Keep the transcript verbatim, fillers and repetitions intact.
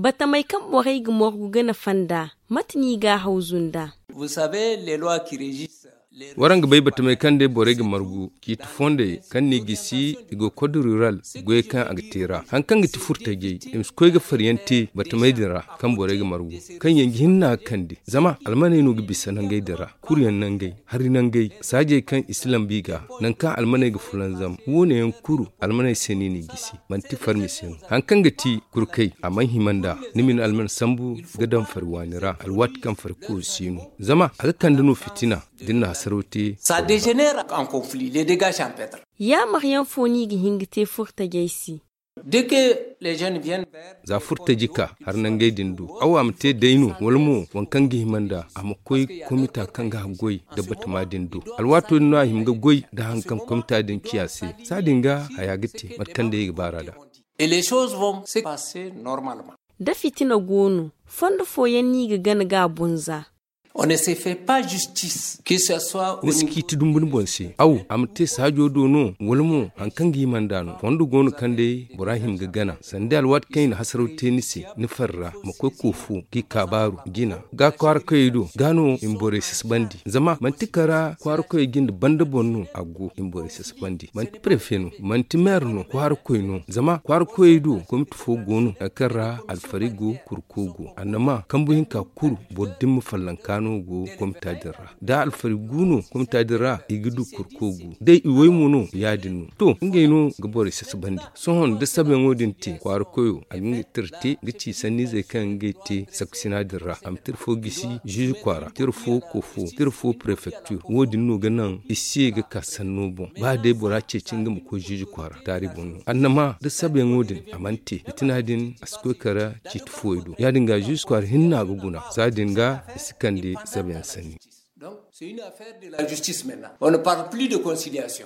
Batamey kaŋ borey ga morgu gana fanda, mate no i ga a hawzu nd'a? Waraŋ ga bay batamey kaŋ day borey ga margu ciiti fondey kaŋ no i gisi i go kod rural goyey kaŋ a ga te ra. Hari kaŋ ga ti furtajey i ma si koy ga fariyaŋ te batamey din ra kaŋ borey ga margu, kaŋ yaŋ ga hinne a ga kande zama almaney no ga bisa nangey din ra, kuru yaŋ nangey, hari nangey, saajey kaŋ i si lambu i ga, nangu kaŋ almaney ga fulanzam, wo- ne yaŋ kulu almaney se no i n'i gisi. Manti farmi se no. Hari kaŋ ga ti kurkey a mana hima nd'a, ni ma ni alman sambu ga daŋ fari waani ra alwaati kaŋ fari koyo si no, zama a ga kande no fitina da ni na hasaraw te. Yaamaryaŋ fo no i ga hin ga te furtajey se? Za furtaji ka hari nangey din do, awa a ma te day no wala mo waŋ kaŋ ga hima nd'a a ma koy komita kaŋ ga haggoy da batama din do. Alwaato din no a hima ga goy da hari kaŋ komita din ciya se. Saadin ga haya ga te mate kaŋ day i ga baar'a da. Da fitina go no, fondo fooyaŋ no i ga gana ga a bunza. Ni si ciiti dumbu ni boŋ se, aw a ma te saajo do no wala mo hari kaŋ ga hima nd'a no? Fondo go no kaŋ day bora hima ga gana sanda alwaati kaŋ i na hasaraw te ni se, ni fari ra ma koy koofo g'i kaabaaru jina ga kwaara koyey do, ga no i ma borey sasabandi. Zama manti kara kwaara koyey jinde banda boŋ no a go i ma borey sasabandi. Manti prefe no, manti meer no, kwaara koy no. Zama kwaara koyey do komiti fo go no hari kaŋ ra alfari go, kurko go annama kambu hinka kuru boro dimma fallanka no go komita din ra. Da alfari gu no komita din ra i ga du kurko gu day i way mo no ya- din no. To ngey no ga borey sasabandi. Sohõ da sabayaŋo din te kwaara koyo a ga nga tira te ga ci sanniizey kaŋ ngey te sakkusina din ra a ma tira fo gisi ziizi kwaara, tira fo koofo, tira fo prefektir. Wo- din no ga naŋ i si ye ga ka sanno boŋ ba day bora ceeci nga ma koy ziizi kwaara taari boŋ no annama da sabayaŋo din a mana te fitina din a si koy kara ciiti fooyo do ya- din ga ziizi kwaara hinna ga guna saadin ga i si kande sabayaŋ sanni. Donc c'est une affaire de la justice maintenant, on ne parle plus de conciliation.